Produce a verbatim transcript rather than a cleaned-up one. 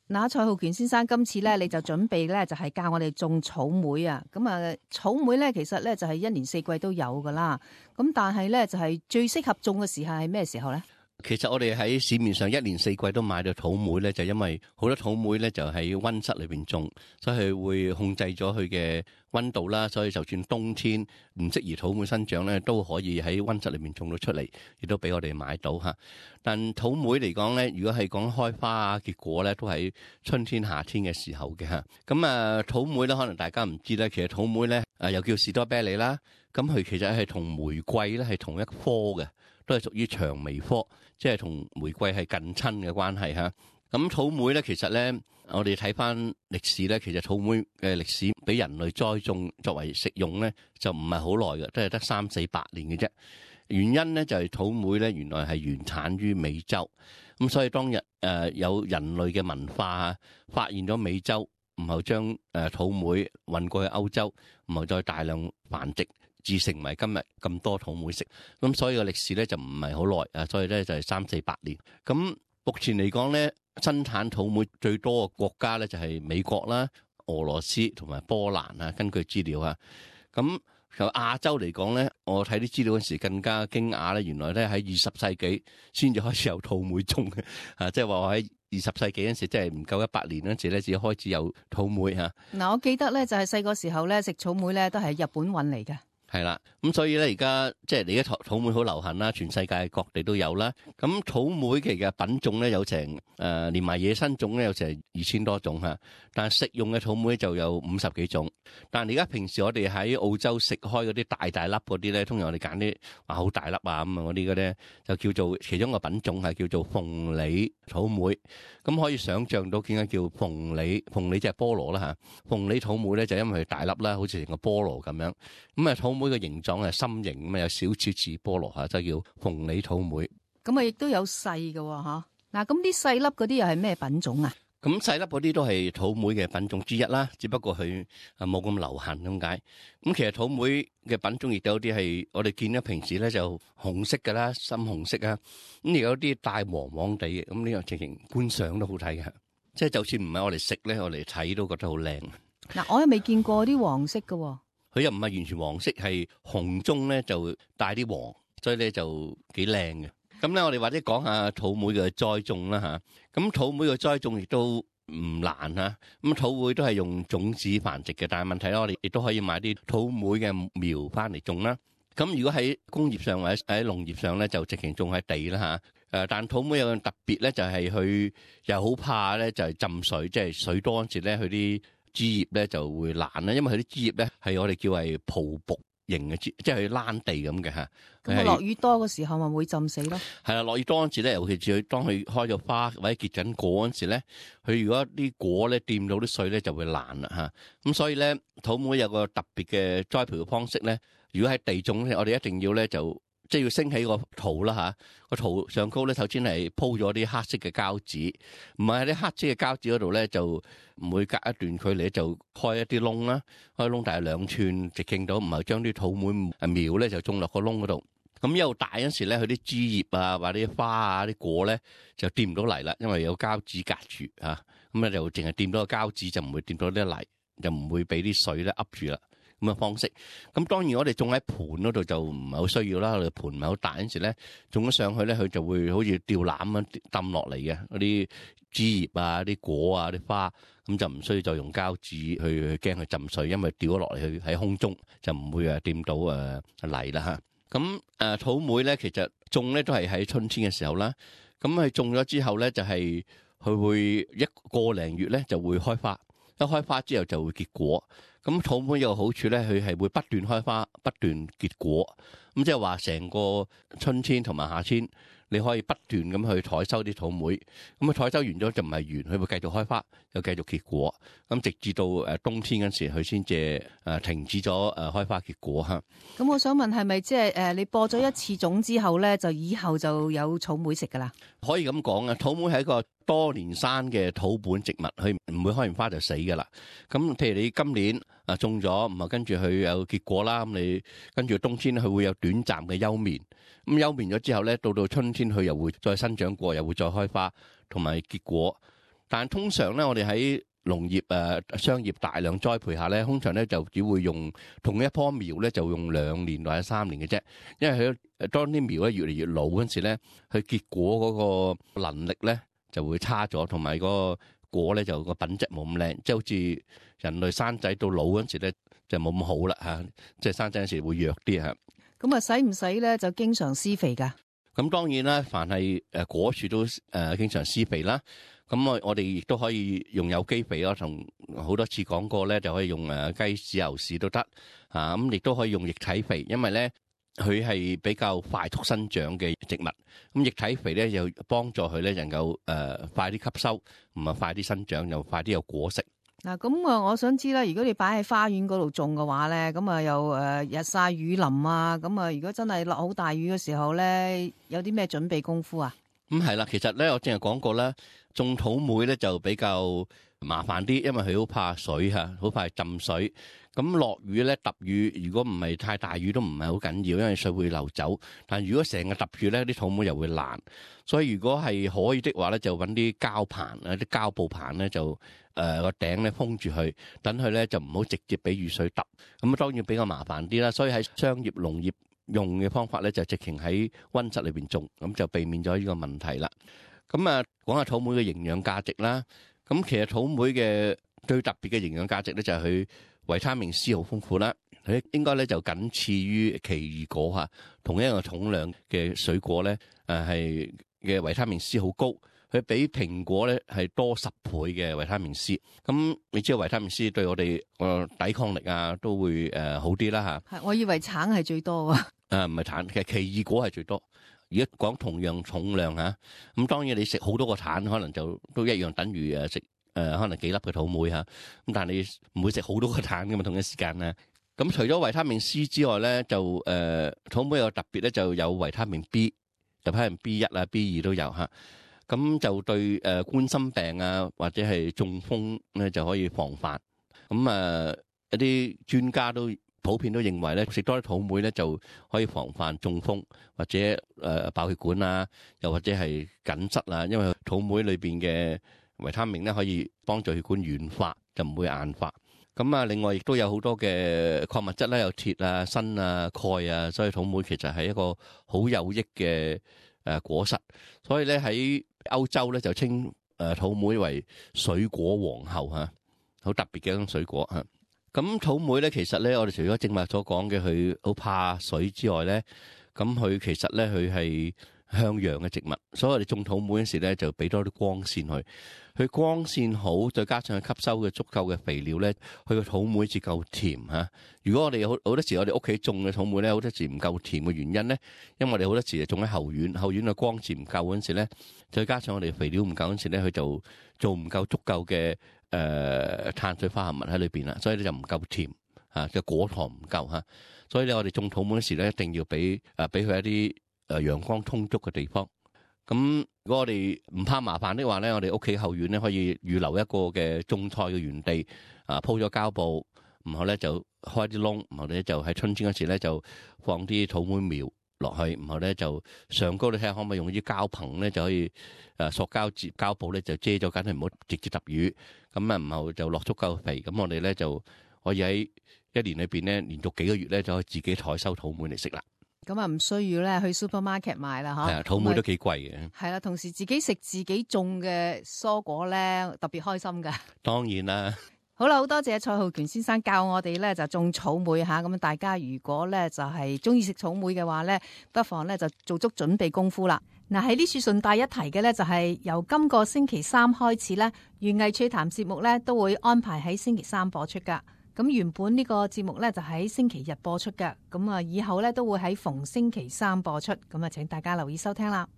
嗱，蔡浩權先生，今次咧你就準備咧就係教我哋種草莓啊。咁啊，草莓咧其實咧就係一年四季都有噶啦。咁但係咧就係最適合種嘅時候係咩時候咧？其實我哋喺市面上一年四季都買到草莓咧，就因為好多草莓咧就喺溫室裏邊種，所以佢會控制咗佢嘅溫度啦。所以就算冬天唔適宜草莓生長咧，都可以喺溫室裏邊種到出嚟，亦都俾我哋買到吓。但草莓嚟講咧，如果係講開花啊、結果咧，都喺春天、夏天嘅時候嘅吓。咁啊，草莓咧可能大家唔知咧，其實草莓咧啊又叫士多啤梨啦，咁佢其實係同玫瑰咧係同一科嘅，都係屬於薔薇科。即係同玫瑰係近親嘅關係嚇。咁草莓咧，其實咧，我哋睇翻歷史咧，其實草莓嘅歷史俾人類栽種作為食用咧，就唔係好耐嘅，都係得三四百年嘅啫。原因咧就係草莓咧，原來係原產於美洲。咁所以當日誒有人類嘅文化發現咗美洲，然後將誒草莓運過去歐洲，然後再大量繁殖，至成為今日咁多草莓食。咁所以個歷史咧就唔係好耐啊，所以咧就係三四百年。咁目前嚟講咧，生產草莓最多嘅國家咧就係美國啦、俄羅斯同埋波蘭啊。根據資料啊，咁由亞洲嚟講咧，我睇啲資料嗰時更加驚訝咧，原來咧喺二十世紀先至開始有草莓種嘅啊，即係話我喺二十世紀嗰陣時，即係唔夠一百年嗰陣時咧，至開始有草莓嚇。嗱，我記得咧就係細個時候咧食草莓咧都係日本運嚟嘅。係啦，咁所以咧而家即係你而家草莓好流行啦，全世界各地都有啦。咁草莓其實品種咧有成誒、呃，連埋野生種咧有成二千多種吓，但係食用嘅草莓就有五十幾種。但係而家平時我哋喺澳洲食開嗰啲大大粒嗰啲咧，通常我哋揀啲話好大粒啊咁啊嗰啲嘅咧，就叫做其中個品種係叫做鳳梨草莓。咁可以想象到點解叫鳳梨？鳳梨即係菠蘿啦吓，鳳梨草莓咧就因為佢大粒啦，好似成個菠蘿咁樣。咁啊草莓嘅形狀係心形咁啊，有少少似菠蘿吓，就叫鳳梨草莓。咁啊，亦都有細嘅吓。嗱，咁啲細粒嗰啲又係咩品種啊？咁細粒嗰啲都係草莓嘅品種之一啦，只不過佢啊冇咁流行咁解。咁其實草莓嘅品種亦都有啲係我哋見到平時咧就紅色㗎啦，深紅色啊。咁亦有啲帶黃黃地嘅，咁呢個情形觀賞都好睇嘅。即係就算唔係我哋食咧，我哋睇都覺得好靚。嗱，我又未見過啲黃色嘅。佢又唔係完全黃色，係紅中咧就帶啲黃，所以咧就幾靚嘅。咁咧，我哋或者講下草莓嘅栽種啦嚇。咁草莓嘅栽種亦都唔難嚇。咁草莓都係用種子繁殖嘅，但係問題咧，我哋亦都可以買啲草莓嘅苗翻嚟種啦。咁如果喺工業上或者喺農業上咧，就直情種喺地啦嚇。誒，但草莓有個特別咧，就係佢又好怕咧，就係浸水，即係水多嗰時咧，佢啲枝葉咧就會爛啦，因為佢啲枝葉咧係我哋叫係泡卜型嘅枝，即係佢爛地咁嘅嚇。咁落雨多嘅時候咪會浸死咯？係啦，落雨多嗰時咧，尤其是佢當佢開咗花或者結緊果嗰時咧，佢如果啲果咧掂到啲水咧就會爛啦嚇。咁所以咧，草莓有個特別嘅栽培嘅方式咧，如果喺地種咧，我哋一定要咧就即係要升起個土啦嚇，個土上高咧首先係鋪咗啲黑色嘅膠紙，唔係喺啲黑色嘅膠紙嗰度咧就每隔一段距離就開一啲窿啦，開窿大概兩寸直徑到，唔係將啲草莓苗咧就種落個窿嗰度。咁一路大嗰時咧，佢啲枝葉啊，或者啲花啊、啲果咧就掂唔到泥啦，因為有膠紙隔住嚇，咁咧就淨係掂到個膠紙，就唔會掂到啲泥，就唔會俾啲水咧噏住啦。咁嘅方式，咁當然我哋種喺盤嗰度就唔係好需要啦。我哋盤唔係好大嗰時咧，種咗上去咧，佢就會好似吊籃咁抌落嚟嘅嗰啲枝葉啊、啲果啊、啲花，咁就唔需要再用膠紙去去驚佢浸水，因為掉咗落嚟去喺空中就唔會誒掂到誒泥啦嚇。咁誒草莓咧，其實種咧都係喺春天嘅時候啦。咁佢種咗之後咧，就係佢會一個零月咧就會開花，一開花之後就會結果。咁草莓有個好處咧，佢係會不斷開花、不斷結果。咁即係話成個春天同埋夏天，你可以不斷咁去採收啲草莓。咁啊採收完咗就唔係完，佢會繼續開花，又繼續結果。咁直至到誒冬天嗰時，佢先至誒停止咗誒開花結果嚇。咁我想問係咪即係誒你播咗一次種之後咧，就以後就有草莓食㗎啦？可以咁講啊，草莓係一個多年生嘅土本植物，佢唔會開完花就死㗎啦。咁譬如你今年啊種咗，唔係跟住佢有結果啦，咁你跟住冬天佢會有短暫嘅休眠。咁休眠咗之後咧，到到春天佢又會再生長過，又會再開花同埋結果。但係通常咧，我哋喺農業誒商業大量栽培下咧，通常咧就只會用同一棵苗咧，就用兩年或者三年嘅啫。因為佢誒當啲苗咧越嚟越老嗰陣時咧，佢結果嗰個能力咧就會差咗，同埋個果咧就個品質冇咁靚，即係好似人類生仔到老嗰陣時咧就冇咁好啦嚇，即係生仔嗰陣時會弱啲嚇。咁啊，使唔使咧就經常施肥㗎？咁當然啦，凡係誒果樹都誒經常施肥啦。咁我我哋亦都可以用有機肥咯，同好多次講過咧，就可以用誒雞屎牛屎都得啊。咁亦都可以用液體肥，因為咧佢係比較快速生長嘅植物。咁液體肥咧又幫助佢咧能夠誒快啲吸收，唔係快啲生長，又快啲有果食。嗱，咁啊，我想知啦，如果你擺喺花園嗰度種嘅話咧，咁啊又誒日曬雨淋啊，咁啊如果真係落好大雨嘅時候咧，有啲咩準備功夫啊？咁係啦，其實咧我正係講過啦，種土莓咧就比較麻煩啲，因為佢好怕水嚇，好怕浸水。咁落雨咧揼雨，如果唔係太大雨都唔係好緊要，因為水會流走。但如果成日揼住咧，啲土莓又會爛。所以如果係可以的話咧，就揾啲膠棚啊，啲膠布棚咧就誒個頂咧封住佢，等佢咧就唔好直接俾雨水揼。咁啊當然比較麻煩啲啦。所以喺商業農業用嘅方法咧，就直情喺溫室裏邊種，咁就避免咗呢個問題啦。咁啊，講下土莓嘅營養價值啦。咁其實土莓嘅最特別嘅營養價值咧，就係佢維他命 C 好豐富啦。佢應該咧就僅次於奇異果嚇，同一個重量嘅水果咧，誒係嘅維他命 C 好高。佢比蘋果咧係多十倍嘅維他命 C。咁你知道維他命 C 對我哋個抵抗力啊都會誒好啲啦嚇。係，我以為橙係最多啊。誒唔係橙，其實奇異果係最多。如果講同樣重量嚇，咁當然你食好多個橙，可能就都一樣等於誒食誒可能幾粒嘅土莓嚇。咁但係你唔會食好多個橙㗎嘛，同一時間咧。咁除咗維他命 C 之外咧，就誒、呃、土莓有特別咧，就有維他命 B， 就可能 B 一啊、B 二都有嚇。咁就對誒冠心病啊或者係中風咧就可以防範。咁啊一啲專家都普遍都認為咧，食多啲土莓咧就可以防範中風或者誒爆血管啊，又或者係緊塞啊，因為土莓裏邊嘅維他命咧可以幫助血管軟化，就唔會硬化。咁啊，另外亦都有好多嘅礦物質啦，有鐵啊、鋅啊、鈣啊，所以土莓其實係一個好有益嘅誒果實。所以咧喺歐洲咧就稱誒土莓為水果皇后嚇，好特別嘅一種水果嚇。咁土莓咧，其實咧我哋除咗正話所講嘅佢好怕水之外咧，咁佢其實咧佢係向陽嘅植物，所以我哋種土莓嗰時咧就俾多啲光線佢。佢光線好，再加上佢吸收嘅足夠嘅肥料咧，佢個土莓至夠甜嚇。如果我哋好好多時我哋屋企種嘅土莓咧，好多時唔夠甜嘅原因咧，因為我哋好多時就種喺後院，後院嘅光線唔夠嗰陣時咧，再加上我哋肥料唔夠嗰陣時咧，佢就做唔夠足夠嘅誒碳水化合物喺裏邊啦，所以咧就唔夠甜嚇，嘅果糖唔夠嚇。所以咧我哋種土莓嗰時咧，一定要俾誒俾佢一啲誒陽光充足嘅地方。咁如果我哋唔怕麻煩的話咧，我哋屋企後院咧可以預留一個嘅種菜嘅園地，啊鋪咗膠布，然後咧就開啲窿，然後咧就喺春天嗰時咧就放啲土莓苗落去，然後咧就上高你睇下可唔可以用啲膠棚咧就可以誒塑膠接膠布咧就遮咗緊，唔好直接揼雨，咁啊然後就落足夠肥，咁我哋咧就可以喺一年裏邊咧連續幾個月咧就可以自己採收土莓嚟食啦。咁啊，唔需要咧去 supermarket 買啦，嗬。係啊，土莓都幾貴嘅。係啦，同時自己食自己種嘅蔬果咧，特別開心噶。當然啦。好啦，好多謝蔡浩權先生教我哋咧就種草莓吓，咁大家如果咧就係中意食草莓嘅話咧，不妨咧就做足準備功夫啦。嗱，喺呢處順帶一提嘅咧，就係由今個星期三開始咧，園藝趣談節目咧都會安排喺星期三播出噶。咁原本呢個節目咧就喺星期日播出嘅，咁啊以後咧都會喺逢星期三播出，咁啊請大家留意收聽啦。